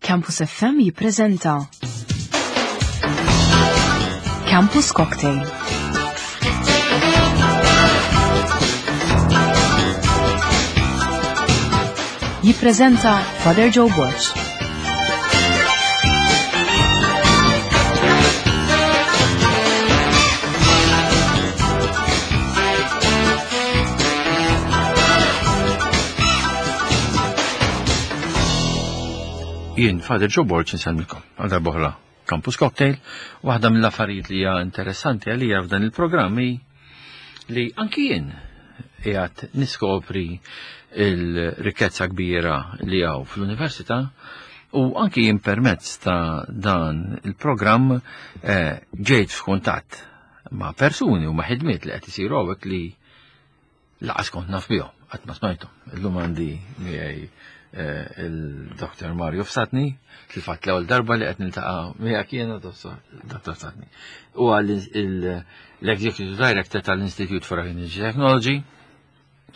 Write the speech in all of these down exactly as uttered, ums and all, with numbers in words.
Campus F M jippreżenta Campus Cocktail. Jippreżenta Father Joe Borg. Jien, Father Joe Borg, nsellmilkom għal darb'oħra Campus Cocktail. Waħda mill-affarijiet li hija interessanti għalija f'dan il-programm hi li anki jien qiegħed niskopri il-rikkezza kbira li hawn fl-università, u anki jien permezz ta' dan il-programm, eh, ġejt f'kuntatt ma' persuni u ma' ħidmiet li qed isiru hawnhekk li laqas kont naf bihom, qatt ma smajthom. Illum għandi miegħi, eh, il-Doktor Mario Fsatni, fil-fatt l-ewwel darba li qed niltaqa' miegħek jiena, Doktor Fsatni. Huwa l-Executive Director tal-Institute for Energy Technology,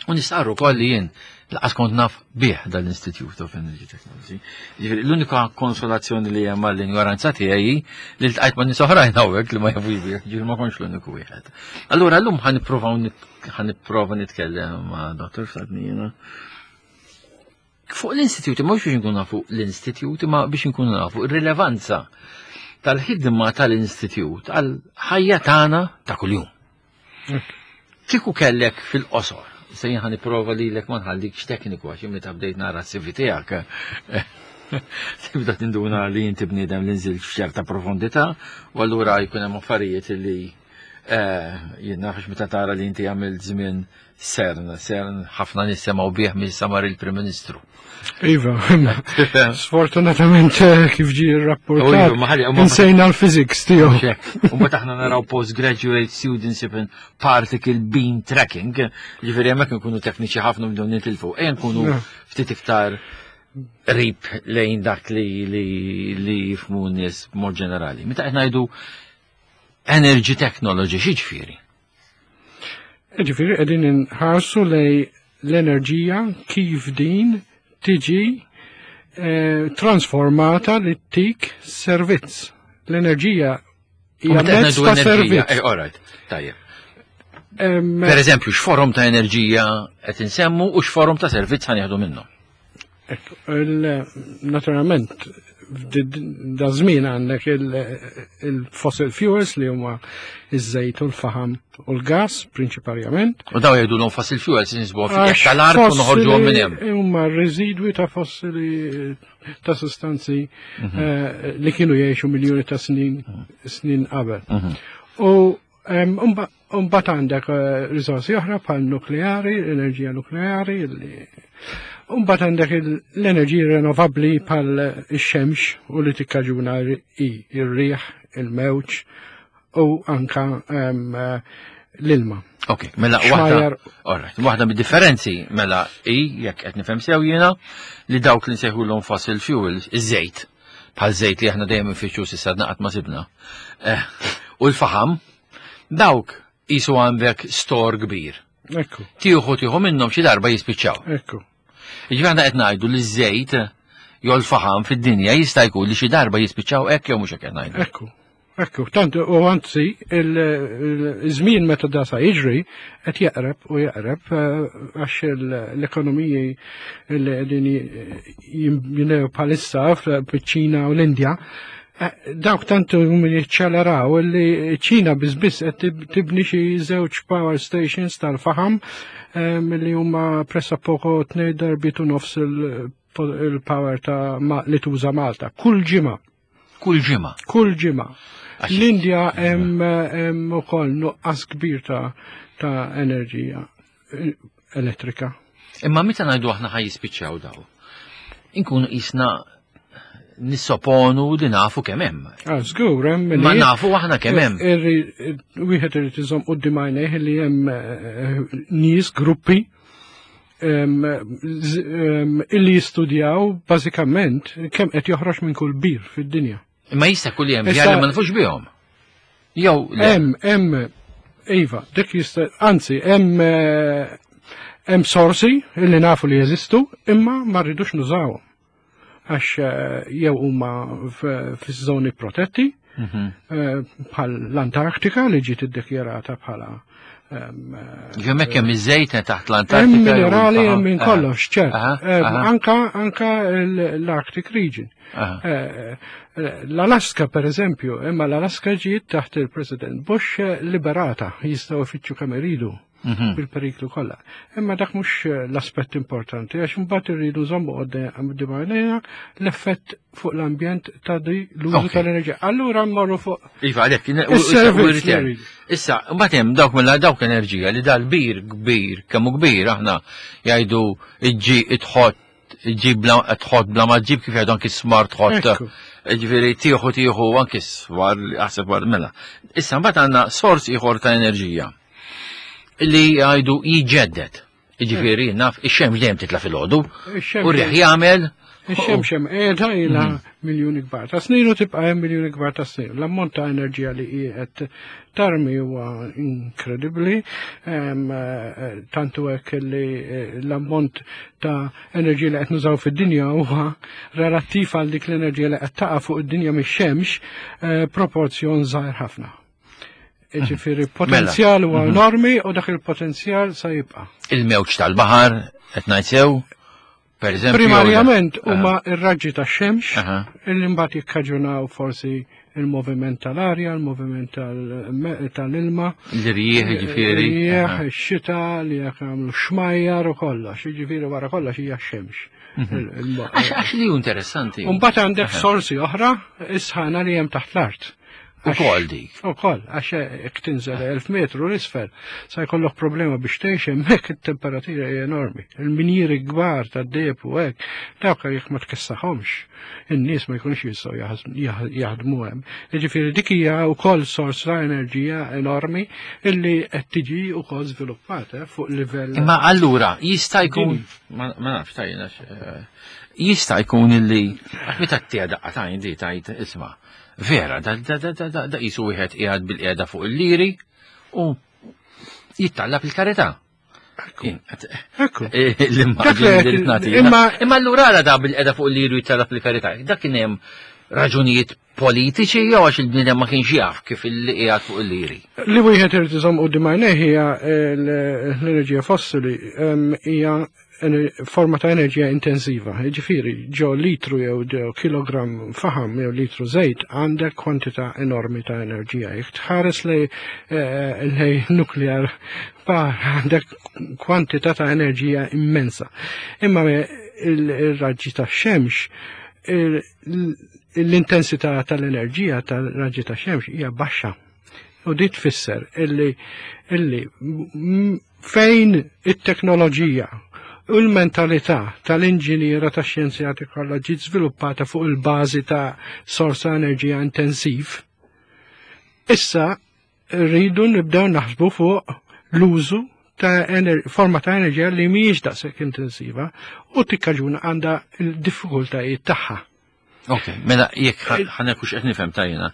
u nistqarru wkoll li jien laqas kont naf bih dal-Institute of Energy Technology. Ġifieri l-unika konsolazzjoni li hemm għall-injoranza tiegħi li ltqajt ma' nies oħrajn hawnhekk li ma jafux bih, ġifieri ma kontx l-uniku wieħed. Allura llum ħa nippruvaw nit-, ħa nipprova nitkellem ma' Doktor Fsatni jiena fuq l-istituti, mhux biex inkunu nafu l-istituti, ma biex inkunu nafu r-rilevanza tal-ħidma tal-istitut għal-ħajja tagħna ta' kuljum. Kieku kellek fil-qosor, se jien ħa nipprova lilek ma nħallikx tekniku għax meta bdejt nara s-C V tiegħek. Tibda tinduna li inti bniedem li nżilt f'ċerta profondità, u allura jkun hemm affarijiet li, eh, jien nafx meta tara li inti għamilt żmien CERN, CERN ħafna nies semgħu bih minn samar il-Prim Ministru. Iva, sfortunatament kif ġie rrapportat, U iva, ma ħalli, u ma insejna l-physics tiegħu. Mhux hekk. U mbagħad aħna naraw postgraduate students in particle beam tracking, ġifieri hemmhekk nkunu tekniċi ħafna bdew nitilfu, ejja nkunu Ja. ftit iktar qrib lejn dak li, li, li jifhmu n-nies b'mod ġenerali. Meta qed ngħidu energy technology, x'jiġifieri? Ġifieri qegħdin inħarsu lej l-enerġija kif din tiġi, eh, transformata li tik servizz. L-enerġija hija U meta qed mezz ngħidu ta' enerġija, servizz. eh, all right, tajjeb. Em, Per eżempju, x'forom ta' enerġija qed insemmu u x'forom ta' servizz ħa nieħdu minnhom? Ekku, il-, naturalment, da żmien għandek il-, il-fossil fuels li huma iż-żejt u l-faħam u l-gas prinċiparjament. U daw jgħidulhom fossil fuels nisbuhom fi Għax tal-art u noħorġuhom minn hemm. fossili huma residwi ta' fossili ta' sostanzi, Mhm. eh, li kienu jgħixu miljuni ta' snin, snin qabel. Mhm. U, em, umba-, mbagħad għandek, eh, riżorsi oħra bħal nukleari, enerġija nukleari, li mbagħad għandek il-, l-enerġiji rinnovabbli bħal ix-xemx u li tikkaġuna i-, ir-riħ, il-mewġ u anka, em, l-ilma. Ok, mela waħda, Xmajjar. all right, waħda mid-differenzi mela i jekk qed nifhem sew jiena li dawk li nsejħulhom fossil fuels, iż-żejt, bħal żejt li aħna dejjem infittxu s'issa naqgħad ma sibna. Eh, u l-faħam, dawk qisu għandek store kbir. Ekku. Tieħu tieħu minnhom xi darba jispiċċaw. Ekku. Jiġifieri aħna qed ngħidu li ż-żejt jew l-faħam fid-dinja jista' jkun li xi darba jispiċċaw hekk jew mhux hekk qed ngħidu. Ekku. Ekku, tant u anzi il-, il-żmien meta da sa jiġri qed jeqreb u jeqreb, eh, għax il-, l-ekonomiji li qegħdin jinbnew bħalissa fiċ-Ċina u l-Indja, eh, dawk tant huma jiċċeleraw li ċ-Ċina biss biss qed tib-, tibni xi żewġ power stations tal-faħam, eh, li huma pressappoco tnejn darbiet u nofs il-, il-power ta' ma-, li tuża Malta. Kull ġimgħa. Kull ġimgħa. Kull ġimgħa. Għax L-Indja hemm, hemm ukoll nuqqas kbir ta', ta' enerġija elettrika. Imma meta ngħidu aħna ħaj jispiċċaw daw, inkunu qisna nissoponu li nafu kemm hemm. Ah, żgur, hemm Ma li nafu aħna kemm hemm. Irri-, wieħed irid iżomm quddiem għajnejh li hemm, eh, nies, gruppi, em, z-, em, illi jistudjaw bażikament kemm qed joħroġ minn kull bir fid-dinja. Imma jista' jkun li hemm Issa bjar li ma nafux bihom. Jew le. Hemm, hemm, iva, dik jista', anzi, hemm, eh, hemm sorsi illi nafu li jeżistu, imma ma rridux nużawhom. Għax eh, jew huma fiż-żoni protetti, Mhm. eh, bħal l-Antarktika li ġiet iddikjarata bħala ehm, Ġemmek hemm iż-żejt taħt l-Antarktika. Hemm minerali hemm minn kollox, ċert. Aha, Eh, aha. Anka anka l-Arctic region. Aha. Eh, eh, L-Alaska per eżempju, imma l-Alaska ġiet taħt il-President Bush eh, liberata, jistgħu ifittxu kemm iridu Mhm. bil-periklu kollha. Imma dak mhux eh, l-aspett importanti, għax imbagħad irridu nżommu quddiem għajnejna l-effett fuq l-ambjent ta' di l-użu Ok. tal-enerġija. Allura mmorru fuq Iva, għalek, Is-servizz li rridu. Issa, mbagħad hemm dawk mill dawk enerġija li dal-bir kbir, kemm hu kbir aħna jgħidu iġġi tħott iġġib bla tħott bla ma ġib kif jgħidu anki smart ħott. Ekku. Ġifieri tieħu tieħu anki swar aħseb war mela. Issa mbagħad għandna sors ieħor ta' enerġija li jgħidu jiġġedded. Ġifieri naf ix-xemx dejjem titla' filgħodu Ix-xemx u r-riħ jagħmel Ix-xemx hemm qiegħda ilha miljuni kbar ta' snin u tibqa' hemm miljuni kbar ta' snin. L-ammont ta' enerġija li qiegħed tarmi huwa inkredibbli, ehm, eh, tantu hekk li eh, l-ammont ta' enerġija li qed nużaw fid-dinja huwa relattiv għal dik l-enerġija li qed taqa' fuq id-dinja mix-xemx eh, proporzjon żgħir ħafna. Ġifieri potenzjal huwa enormi u dak il-potenzjal sa jibqa'. Il-mewġ tal-baħar qed ngħid sew, per eżempju. Primarjament huma ir-raġġi tax-xemx Aha. illi mbagħad jikkaġunaw forsi il-moviment tal-arja, il-moviment tal- tal-ilma, L-irjieħ ġifieri. Rieħ, Aha. ix-xita li jekk jagħmlu xmajjar u kollox, jiġifieri wara kollox hija x-xemx. Il- il- Għax għax li hu interessanti. U mbagħad għandek sorsi oħra, is-sħana li hemm taħt l-art. Ukoll dik. Ukoll, għax jekk tinżel elf metru l-isfel, sa jkollok problema biex tgħix hemmhekk it-temperatura hija enormi. Il-minjieri kbar tad-deheb u hekk, dawk jekk ma tkessaħhomx, in-nies ma jkunux jistgħu jaħz- jaħdmu hemm. Jiġifieri dik hija wkoll sors ta' enerġija enormi illi qed tiġi wkoll żviluppata fuq livell. Imma allura jista' jkun ma ma nafx tajjena jista' jkun illi għax meta tija daqqa tajn di tajt isma' vera da da da da da da qisu wieħed qiegħed bil-qiegħda fuq il-liri u jittallab il-karità. Ekku. Ekku. L-immaġni li rrid nagħti. Imma Imma allura għala da bil-qiegħda fuq il-liri u jittallab il-karità. Dak kien hemm raġunijiet politiċi jew għax il-bniedem ma kienx jaf kif il qiegħed fuq il-liri. Li wieħed irid iżomm quddiem għajnejh hija l-enerġija fossili em, hija ener- forma ta' enerġija intensiva. Jiġifieri ġo litru jew ġo kilogram faħam jew litru żejt għandek kwantità enormi ta' enerġija. Jekk tħares lej eh, lej nuclear power għandek kwantità ta' enerġija immensa. Imma me il-raġġi ta' xemx l-intensità tal-enerġija tal-raġġi ta' xemx hija baxxa. U di tfisser illi, illi m- fejn it-teknoloġija u l-mentalità tal-inġiniera ta' xjenzjati kollha ġiet żviluppata fuq il-bażi ta' sorsa enerġija intensiv, issa rridu nibdew naħsbu fuq l-użu ta' ener forma ta' enerġija li mhijiex daqshekk intensiva u tikkaġuna għandha l-diffikultajiet tagħha. Ok, mela jekk ħanekux qed nifhem tajjena.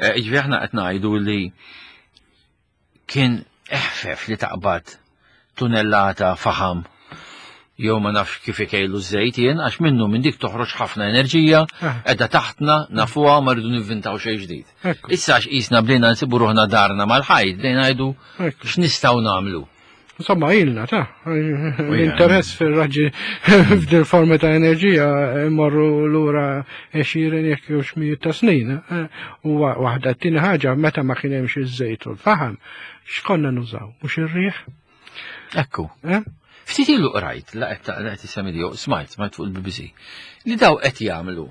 Ġifieri aħna qed ngħidu li kien eħfef li taqbad tunellata faħam jew ma nafx kif ikejlu żejt jien għax minnu minn dik toħroġ ħafna enerġija, Ah. qiegħda taħtna nafuha ma rridu nivvintaw xejn ġdid. Ekku. Issa għax qisna bdejna nsibu ruħna darna mal-ħajt, bdejna ngħidu Ekku. x'nistgħu nagħmlu. Insomma, ilna ta' l-interess fil-raġġi f'dil forma ta' enerġija morru lura għexieren jekk jux mijiet ta' snin. eh, U wa- waħda t-tieni ħaġa meta ma kien hemmx iż-żejt u l-faħam, x'konna nużaw? Mhux ir-riħ? Ekku. eh? Ftit ilu qrajt, la qed la qed issemmi di, smajt, smajt fuq il-B B C, li daw qed jagħmlu.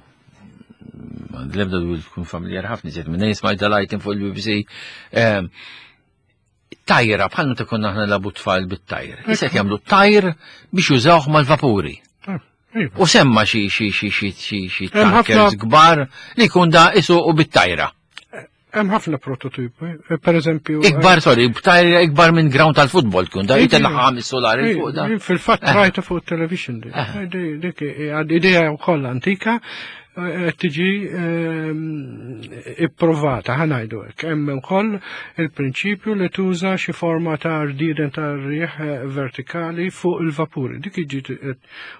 L-ebda dwar tkun familjar ħafna iżjed minn smajt dal-item fuq il-B B C. ehm, Tajra, bħal meta konna aħna labu tfal bit-tajr. Issa qed jagħmlu tajr biex jużawh mal-vapuri. Ah, iva. U semma xi xi xi xi xi xi Hemm ħafna- tankers kbar li jkun da isuqu bit-tajra. Hemm ħafna prototipi, eh, per eżempju. Ikbar, sorry, b'tajra ikbar minn ground tal-futbol tkun da Iva. jitella' ħames solari Eh, fuq da. Fil-fatt Eh. rajta fuq television di. Eh. Eh, di- Dik hija idea wkoll antika qed tiġi ehm, ipprovata, ħa ngħidu hekk. Hemm ukoll il-prinċipju li tuża xi forma ta' rdieden ta' rieħ vertikali fuq il-vapuri. Dik iġi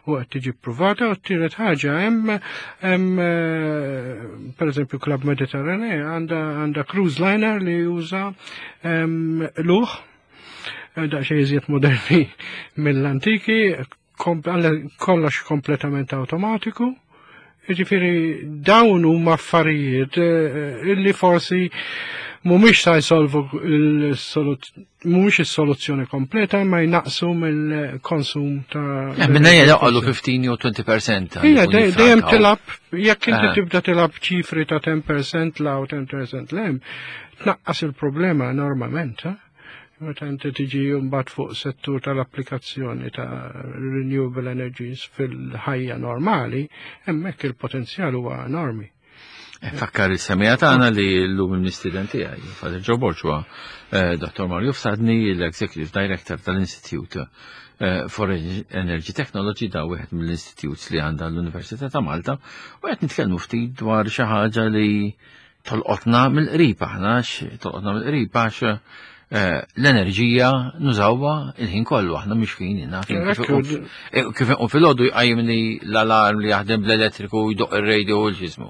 u qed tiġi pprovata. U t-tielet ħaġa, hemm hemm eh, pereżempju Club Mediterranee għandha għandha cruise liner li juża ehm, luħ eh, daqsxejn iżjed moderni mill-antiki, kollox kompletament automatiku. Ġifieri dawn huma affarijiet eh, illi forsi mhumiex sa jsolvu mhumiex is-soluzzjoni kompleta, ma jnaqsu mill-konsum ta' eh, Minna jgħallu ħmistax jew għoxrin fil-mija. Ija, dejjem tilgħab, jekk inti eh. tibda tilgħab ċifri ta' għaxra fil-mija 'l hawn, għaxra fil-mija 'l hemm, tnaqqas il-problema enormament. Meta inti tiġi mbagħad fuq settur tal-applikazzjoni ta' renewable energies fil-ħajja normali, hemmhekk il-potenzjal huwa enormi. Eh, fakkar il-semija tagħna li llum il-mistieden tiegħi, Father Joe Borg, huwa eh, Dottor Mario Fsadni, l-Executive Director tal-Institute eh, for Energy Technology, da wieħed mill-institutes li għandha l-Università ta' Malta, u qed nitkellmu ftit dwar xi ħaġa li tolqotna mill-qrib aħna, tolqotna mill-qrib għax Eh, l-enerġija nużawha il-ħin kollu, aħna mhux fin kif u filgħodu jqajjimni l-alarm li jaħdem bl-elettriku, jdoq ir-radio u l-ġismu.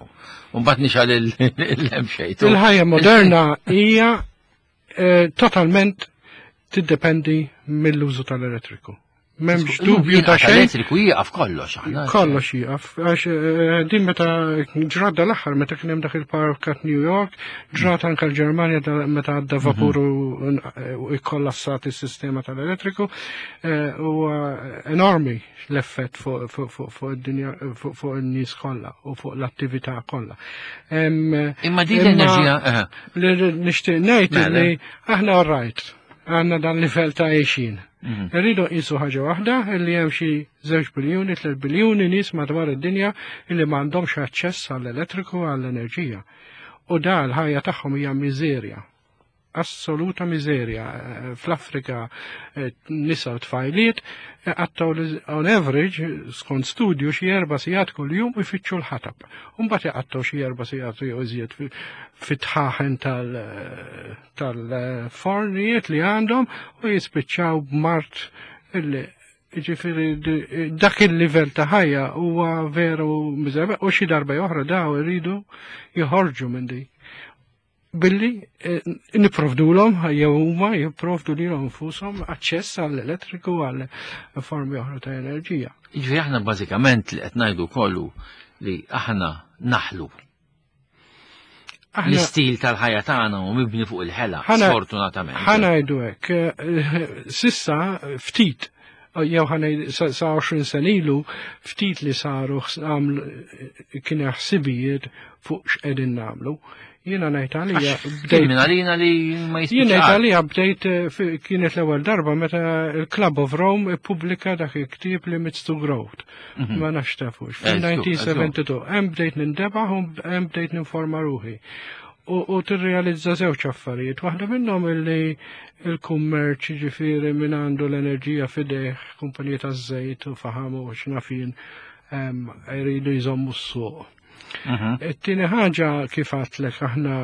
Mbagħad nixgħel il-lemxejt. Il-ħajja moderna hija eh, totalment tiddependi mill-użu tal-elettriku. M'hemmx dubju ta' xejn. Elettriku jieqaf kollox aħna. Kollox jieqaf. Għax eh, din meta ġrat l-aħħar meta kien hemm dak il-power cut New York, ġrat anke l-Ġermanja meta għadda mhm. vapur u ikkollassat is-sistema tal-elettriku, eh, huwa enormi l-effett fuq id-dinja, fuq in-nies kollha u fuq l-attività kollha. Imma din l-enerġija. Eh. Li nixtieq ngħid li aħna rajt għandna dan livell ta' għejxin. Mhm. Irridu nqisu ħaġa waħda, illi hemm xi żewġ biljuni, tliet biljuni nies madwar id-dinja illi m'għandhomx aċċess għall-elettriku, għall-enerġija. U da l-ħajja tagħhom hija miżerja. Assoluta miżerja. Fl-Afrika eh, nisa u tfajliet eh, għattaw on average, skont studju, xi erba' sigħat kuljum ifittxu l-ħatab. Mbagħad jqattgħu xi erba' sigħat jew iżjed fit-tħaħen tal-fornijiet li għandhom u jispiċċaw b'mard illi ġifieri dak il-livell ta' ħajja huwa veru miżerja, u xi darba oħra daw iridu joħorġu minn di billi eh, nipprovdulhom jew huma jipprovdu lilhom infushom aċċess għall-elettriku, għall formi oħra ta' enerġija. Jiġifieri aħna bażikament li qed ngħidu kollu li aħna naħlu. L-istil tal-ħajja tagħna u mibni fuq il-ħela, sfortunatament. Ħa ngħidu hekk, eh, s'issa ftit jew ħa sa għoxrin sena ilu ftit li saru kien ħsibijiet fuq x'qegħdin nagħmlu. Jiena ngħid għalija bdejt. Minn għalina li ma Jien ngħid għalija bdejt eh, kienet l-ewwel darba meta il-Club of Rome ippubblika dak il-ktieb Limits to Growth. Mhm. Ma nafx tafux. Fil-elf disa' mija u tnejn u sebgħin hemm bdejt nintebaħ u hemm bdejt ninforma ruħi. U tirrealizza żewġ affarijiet. Waħda minnhom illi il-kummerċ, ġifieri minn għandu l-enerġija f'idejh, kumpanija taż-żejt u faħam u x'naf jien, jridu jżommu s-suq. Mhm. It-tieni ħaġa, kif għedtlek, aħna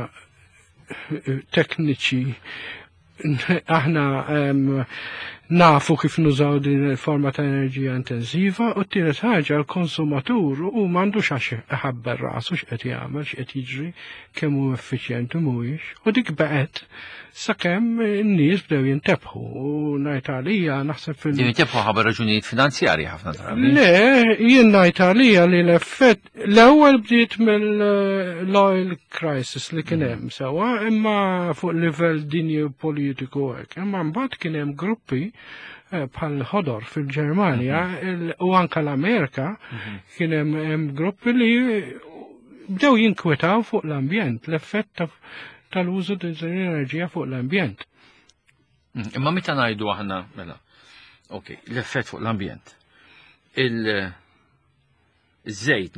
tekniċi, aħna nafu kif nużaw din il-forma ta' enerġija intensiva, u t-tielet ħaġa, l-konsumatur u m'għandux għax iħabbar rasu x'qed jagħmel, x'qed jiġri, kemm hu effiċjenti mhuwiex. U dik baqgħet sakemm in-nies bdew jintebħu, u ngħid għalija naħseb fil- Jintebħu ħabba raġunijiet finanzjarji ħafna drabi. Le, jien ngħid għalija li l-effett l-ewwel bdiet mill-oil crisis li kien hemm sewwa, imma fuq livell dinji politiku hekk. Imma mbagħad kien hemm gruppi eh, bħal ħodor fil-Ġermanja mhm. u anka l-Amerika, mhm. kien hemm gruppi li bdew jinkwetaw fuq l-ambjent, l-effett tal-użu l-enerġija fuq l-ambjent. Mhm. Imma meta ngħidu aħna, mela, ok, l-effett fuq l-ambjent. Il-żejt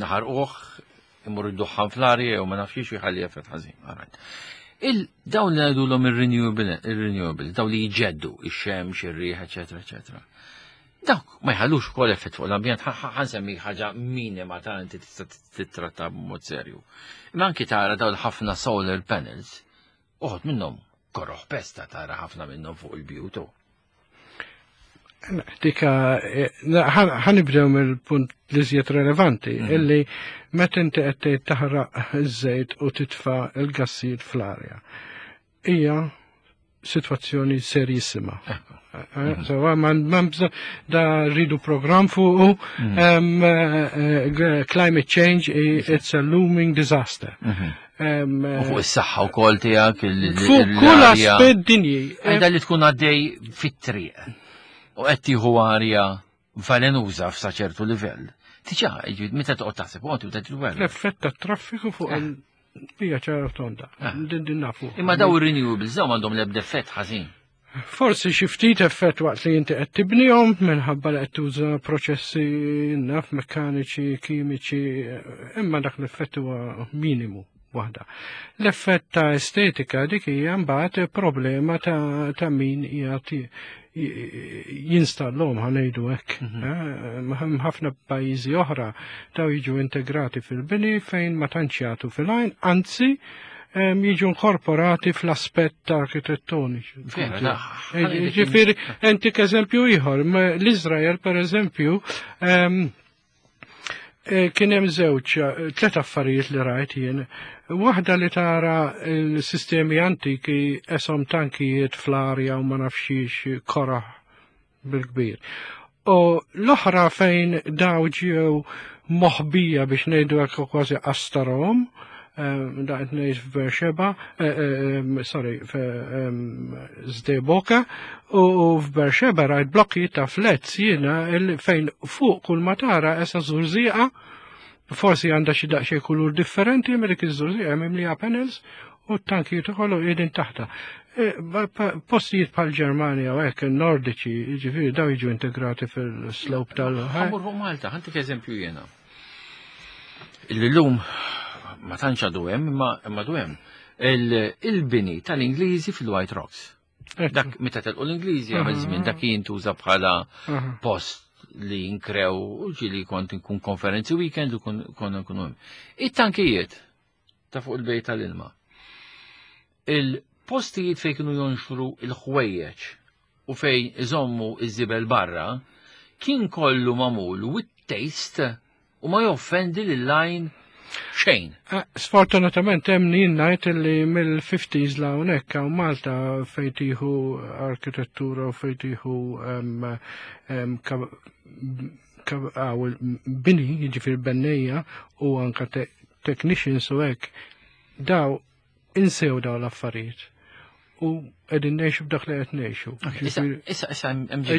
naħarquh, imur id-duħħan fl-arja u ma nafx jħalli effett ħażin. Il-dawn li ngħidulhom il-renewable, il-renewable, dawn li jġeddu, ix-xemx, ir-riħ, eċetera, eċetera. Dawk ma jħallux ukoll effett fuq l-ambjent, ħa nsemmi ħaġa minima ta' inti tista' titratta b'mod serju. Imma anki tara dawn ħafna solar panels, uħud minnhom koroħ pesta tara ħafna minnhom fuq il-bjutu. Dika, eh, ħa nibdew mill-punt li żjed relevanti, mhm. illi meta inti qed tgħid taħraq iż-żejt u titfa' il-gassijiet fl-arja. Hija situazzjoni serjissima. Eh, mhm. So, man da rridu program fuqu, mhm. eh, climate change, it's a looming disaster. U fuq is-saħħa wkoll tiegħek. Fuq kull aspett dinji. Għajda li tkun għaddej fit-triq u qed tieħu arja velenuża f'sa ċertu livell. Tiġa, meta toqgħod taħseb, u tibda tilwel. L-effett tat-traffiku fuq eh. il-bija ċara tonda. Eh. Din din nafu. Imma daw ir-renewables daw m'għandhom l-ebda effett ħażin. Forsi xi ftit effett waqt li inti qed tibnihom minħabba li qed tuża proċessi naf mekkaniċi, kimiċi, imma dak l-effett huwa minimu waħda. L-effett ta' estetika dik hija mbagħad problema ta', ta' min jagħti jinstallhom ħa ngħidu hekk. Mhm. Eh, ħafna pajjiżi oħra daw jiġu integrati fil-bini fejn ma tantx jagħtu fil-għajn, anzi jiġu inkorporati fl-aspett arkitettoniċi. Ġifieri, intik eżempju ieħor, l-Iżrael per eżempju, eh, kien hemm żewġ eh, tliet affarijiet li rajt jien. Waħda li tara l-sistemi antiki esom tankijiet fl-arja u ma nafxiex koraħ bil-kbir. U l-oħra fejn daw ġew moħbija biex ngħidu hekk kważi qastarom, eh, da qed ngħid f'Berxeba, sorry, Sde Boker, u f'Berxeba rajt blokki ta' flats jiena fejn fuq kull ma tara esa żurżieqa, forsi għandha xi daqsxejn kulur differenti, imma dik iż-żurżieqa mimlija panels u t-tankijiet ukoll qiegħdin taħta. E, postijiet bħal Ġermanja u hekk nordiċi, jiġifieri daw jiġu integrati fil-slope tal- Ħa mmur fuq Malta, ħa ntik eżempju jiena. Illum ma tantx għadu hemm, imma għadu hemm. Il-bini tal-Ingliżi fil-White Rocks. Dak meta telqu l-Ingliżi għamel żmien dak jintuża bħala post li jinkrew u ġili kont nkun konferenzi weekend u konna nkunu hemm. It-tankijiet ta' fuq il-bejt tal-ilma. Il-postijiet fejn kienu jonxru il-ħwejjeġ u fejn iżommu iż-żibel barra kien kollu magħmul with taste u ma joffendi lil-lajn xejn. Ah, sfortunatament hemm jien ngħid li mill-fifties la hawnhekk hawn Malta fejn tieħu arkitettura u fejn tieħu bini, jiġifieri bennejja u anka technicians u hekk, daw insew daw l-affarijiet u qegħdin ngħixu b'dak li qed ngħixu. Issa, issa,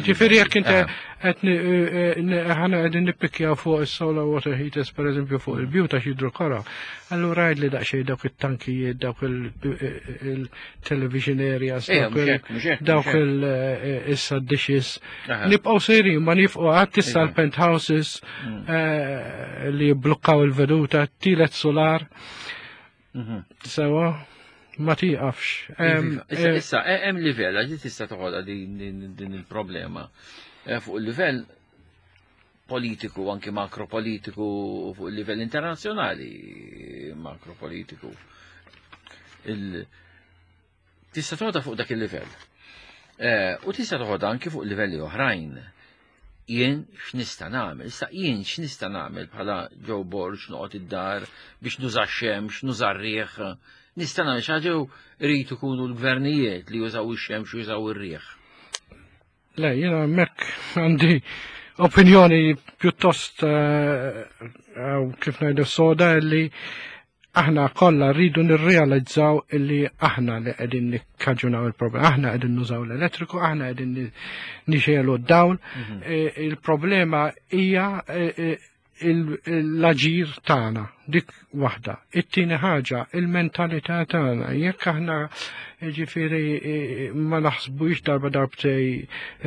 Ġifieri jekk inti qed aħna qegħdin nippikjaw fuq is-solar water heaters pereżempju fuq il-bjut għax jidhru kora, allura għidli daqsxejn dawk it-tankijiet, dawk il-television areas, dawk il-issa dishes. Nibqgħu sejrin ma nifqu qatt issa l-penthouses mm. li jibblukkaw il-veduta, tielet solar. Mhm. Sewa ma tiqafx. Issa, issa, hemm livell, għax tista' toħodha din il-problema. Eh, fuq il-livell politiku, anki makropolitiku, fuq il-livell internazzjonali makropolitiku. Tista' toħodha fuq dak il-livell. Eh, u tista' toħodha anki fuq livelli oħrajn. Jien x'nista' nagħmel? Issa jien x'nista' nagħmel bħala Joe Borg noqgħod id-dar biex nuża x-xemx, nuża r-riħ. Nista' nagħmel xi ħaġa rrid ikunu l-gvernijiet li jużaw ix-xemx u jużaw ir-riħ. Le, jiena hemmhekk għandi opinjoni pjuttost eh, kif ngħidu soda li aħna kollha rridu nirrealizzaw illi aħna li qegħdin nikkaġunaw il-problema, aħna qegħdin nużaw l-elettriku, aħna qegħdin nixegħlu d-dawl. Mhm. E, il-problema hija e, e, l-aġir tagħna, dik waħda. It-tieni ħaġa, il-mentalità tagħna. Jekk aħna ġifieri ma naħsbux darba darbtej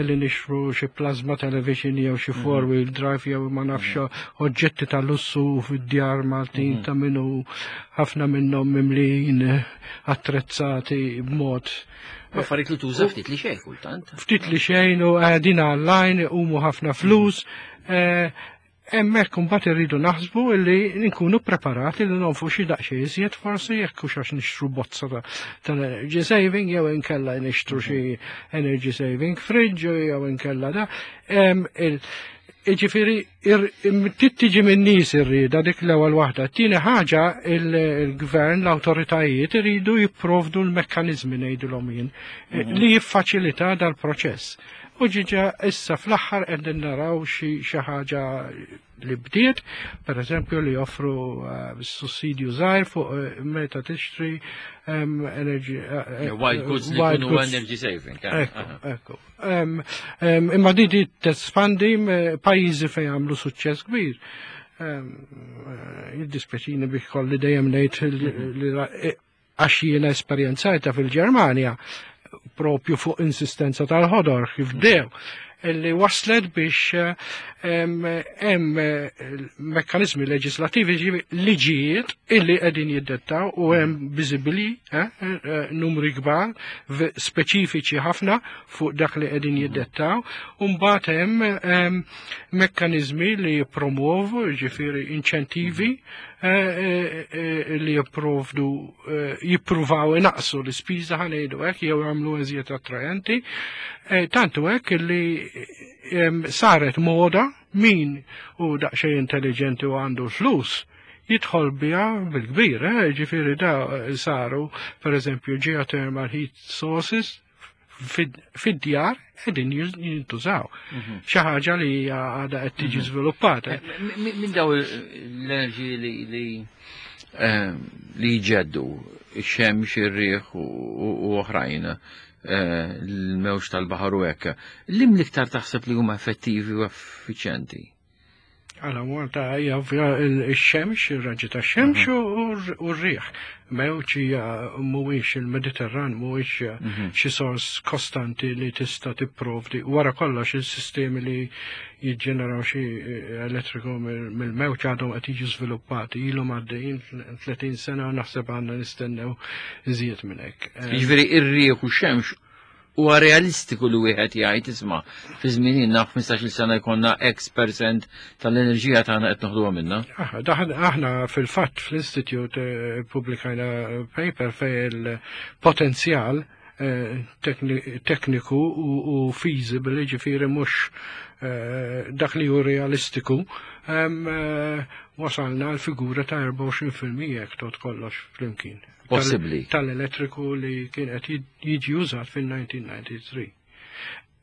li nixtru xi plasma television jew xi mhm. four wheel drive jew ma nafx mhm. oġġetti ta' lussu fid-djar Maltin mhm. ta' minnu ħafna minnhom mimlin attrezzati b'mod Affarijiet li tuża ftit li xejn kultant. Ftit li xejn u qegħdin online umu ħafna flus. Eh, hemmhekk imbagħad irridu naħsbu illi nkunu preparati li nonfu xi daqsxejn iżjed forsi, jekk hux għax nixtru bozza ta' tal-energy saving jew inkella nixtru xi energy saving fridge jew inkella da. Em, il- Ġifieri, tiġi minn nies irrida, dik l-ewwel waħda. Tieni ħaġa, il-gvern, l-awtoritajiet iridu jipprovdu l-mekkaniżmi, ngħidulhom jien, li jiffaċilita dal-proċess. U ġiġa issa fl-aħħar qegħdin naraw xi xi ħaġa li bdiet, per eżempju li joffru uh, sussidju żgħir fuq uh, meta tixtri um, energy uh, White goods li white jkunu goods. energy saving. eh, Ekku, aha. ekku. Em, em, Imma di di tespandi m- pajjiżi fejn għamlu suċċess kbir. Em, eh, Jiddispjaċini biex kolli dejjem ngħid li- li eh, għax jiena esperjenzajta fil-Ġermanja propju fuq insistenza tal-ħodor kif dew illi waslet biex eh, em, hemm eh, mekkanizmi leġislativi, ġivi liġijiet illi qegħdin jiddettaw u hemm viżibbli eh, eh, numri kbar v- speċifiċi ħafna fuq dak li qegħdin jiddettaw, u mbagħad hemm em, mekkaniżmi li jippromuovu, ġifieri inċentivi eh, eh, eh, li jipprovdu eh, jippruvaw inaqsu l-ispiża, ħa ngħidu hekk, jew jagħmlu eżjed attraenti. Eh, Tantu hekk li em, saret moda, min u daqsxejn intelligenti u għandu flus jidħol biha bil-kbir, eh? Ġifieri da eh, saru, per eżempju, geothermal heat sources fid- fid-djar qegħdin jintużaw. Xi ħaġa li hija għadha qed tiġi żviluppata. Eh, mi- Minn daw l-enerġiji li li eh, li jġeddu, ix-xemx, ir-riħ u u oħrajn, eh, l-mewġ tal-baħar u hekk, lim l-iktar taħseb li huma effettivi u effiċjenti? Għala Malta hija ovvja il-xemx, ir-raġġi tax-xemx u u r-riħ. Mewġ hija mhuwiex il-Mediterran, mhuwiex xi sors kostanti li tista' tipprovdi. Wara kollox, il-sistemi li jiġġeneraw xi elettriku mill-mewġ għadhom qed jiġu żviluppati, ilhom għaddejjin tletin sena u naħseb għandna nistennew iżjed minn hekk. Jiġifieri ir-riħ u x-xemx huwa realistiku li wieħed jgħid, isma', fi żmien ħmistax-il sena jkollna X percent tal-enerġija tagħna qed noħduha minna. Aħna, daħn- aħna fil-fatt fl-Institute eh, publikajna paper fej il-potenzjal eh, tekni- tekniku u, u feasible, ġifieri mhux eh, dak li hu realistiku, em, eh, wasalna l-figura ta' erbgħa u għoxrin fil-mija jekk tot kollox flimkien. Tal- Possibbli. Tal-elettriku li kien qed jiġi użat fil-elf disa' mija u tnejn u disgħin.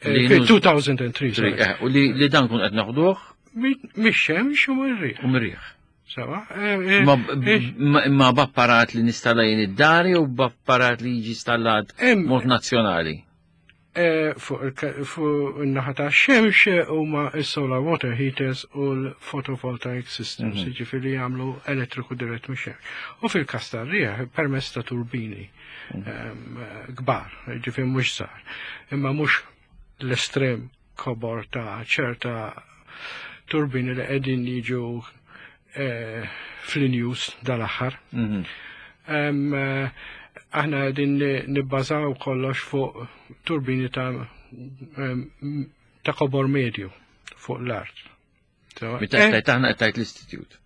Li Eh, nuż- elfejn u tlieta, sorry. Eh, U li, li dan kun qed naħduh Mix-xemx u mir-riħ. u mir-riħ. Sawa? Eh, eh, Ma, eh, ma, ma b'apparat li nistalla jien id-dar u b'apparat li jiġi installat Em- mod nazzjonali? eh, Fuq il- fuq in-naħa ta' xemx huma s-solar water heaters u l-photovoltaic systems, jiġifieri jagħmlu elettriku dirett mix-xemx. U fil-każ tar-riħ permezz ta' turbini em, kbar, ġifieri mhux żgħar. Imma mhux l-estrem kobor ta' ċerta turbini li qegħdin jiġu eh, fl-news dal-aħħar. Mhm. Em, eh, Aħna qegħdin nibbażaw kollox fuq turbini ta' em, ta' kobor medju fuq l-art. So, Meta eh, qed aħna, qed tgħid l-istitut.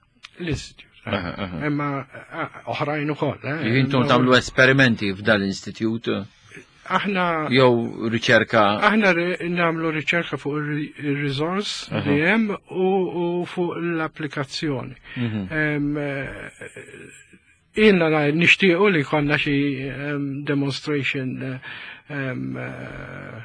L-istitut. Aha, aha. Imma eh, oħrajn ukoll. eh. Intom tagħmlu esperimenti f'dan l-istitut Aħna jew riċerka? Aħna ri- nagħmlu riċerka fuq il-resource li hemm u, u fuq l-applikazzjoni. Mhm. Em, eh, Ilna na- nixtiequ li konna xi em, demonstration eh, em, eh,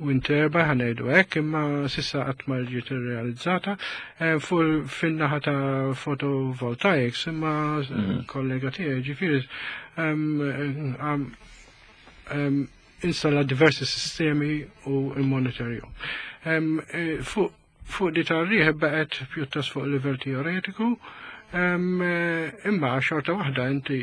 wind turbine, ħa ngħidu hekk, imma s'issa qatt ma ġiet irrealizzata. Eh, Fuq fin-naħa ta' photovoltaics, imma kollega tiegħi ġifieri em, em, em, installa diversi sistemi u immonitorjhom. Em, eh, Fuq fuq di tar-riħ baqgħet pjuttost fuq livell teoretiku, em, eh, imma xorta waħda inti,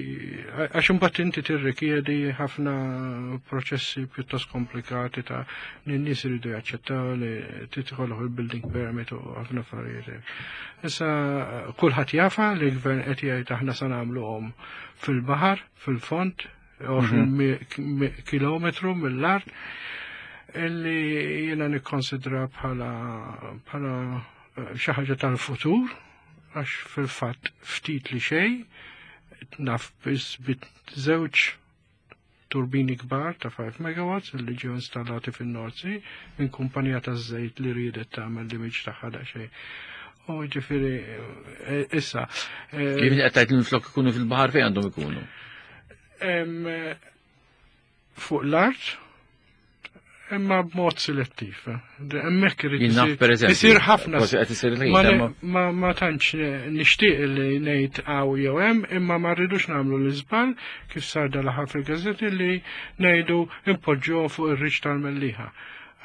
għax imbagħad inti tirrikjedi ħafna proċessi pjuttost komplikati ta' li n-nies iridu jaċċettaw li tidħol il-building permit u ħafna affarijiet. Issa kulħadd jafa li l-gvern qed jgħid aħna se nagħmluhom fil-baħar, fil-fond, għoxrin kilometru mill-art, illi jiena nikkonsidra bħala bħala xi ħaġa tal-futur, għax fil-fatt ftit li xejn, naf biss bit żewġ turbini kbar ta' five megawatts li ġew installati fin-North Sea minn kumpanija ta' żejt li riedet tagħmel l-image tagħha daqsxejn. U ġifieri issa. Kif qed tgħid li flok ikunu fil-baħar fejn għandhom ikunu? Fuq l-art, imma b'mod selettiv. Hemmhekk irid isir ħafna. Ma ma tantx nixtieq li ngħid hawn jew hemm, imma ma rridux nagħmlu l-iżball kif sar dal-aħħar fil-gazzetti li ngħidu impoġġuhom fuq ir-riċ tal-Mellieħa.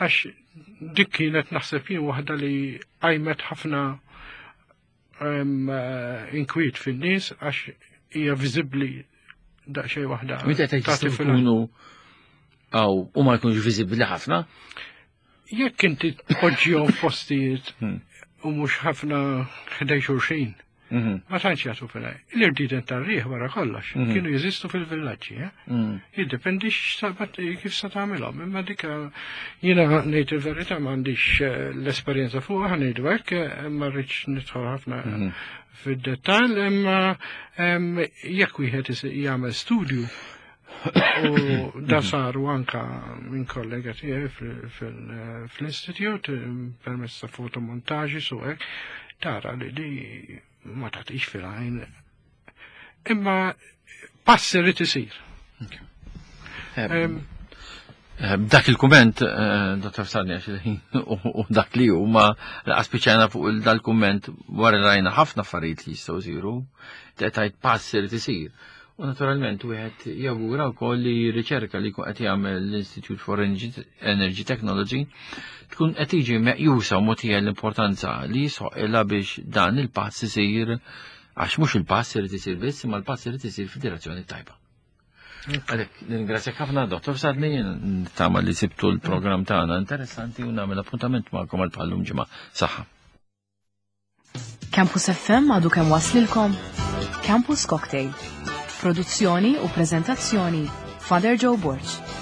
Għax dik kienet naħseb jien waħda li qajmet ħafna inkwiet fin-nies għax hija viżibbli daqsxejn waħda. Meta qed ikunu għaw u ma jkunx viżibbli ħafna? Jekk inti tpoġġihom f'postijiet u mhux ħafna ħdej xulxin, ma tantx jagħtu fil L-irdiden tar-riħ wara kollox kienu jeżistu fil-villaġġi, jiddependi kif sa tagħmilhom, imma dik jiena ngħid il-verità m'għandix l-esperjenza fuqha, ngħidu hekk, ma rridx nidħol ħafna fid-dettall, imma jekk wieħed jagħmel studju u da saru anka minn kollega tiegħi fl-istitut permezz ta' fotomontaġġi su hekk, tara li di ma tagħtix fil-għajn. Imma pass irid isir. Dak il-kumment, Dottor Sarni, u dak li hu ma aspiċajna fuq dal-kumment wara rajna ħafna affarijiet li jistgħu jsiru, tgħid pass irid isir. U naturalment wieħed jawgura wkoll li riċerka li jkun qed jagħmel l-Institute for Energy Technology tkun qed tiġi meqjusa u mogħtija l-importanza li jisħoqilha biex dan il-pass isir, għax mhux il-pass irid isir biss, imma l-pass irid isir fid-direzzjoni tajba. Għalhekk nirringrazzjak ħafna, Dottor Sadni, nittama li sibtu l-programm tagħna interessanti u nagħmel appuntament magħkom għal bħallum ġimgħa. Saħħa. Campus F M għadu kemm waslilkom Campus Cocktail. Produzzjoni u prezentazzjoni Father Joe Borg.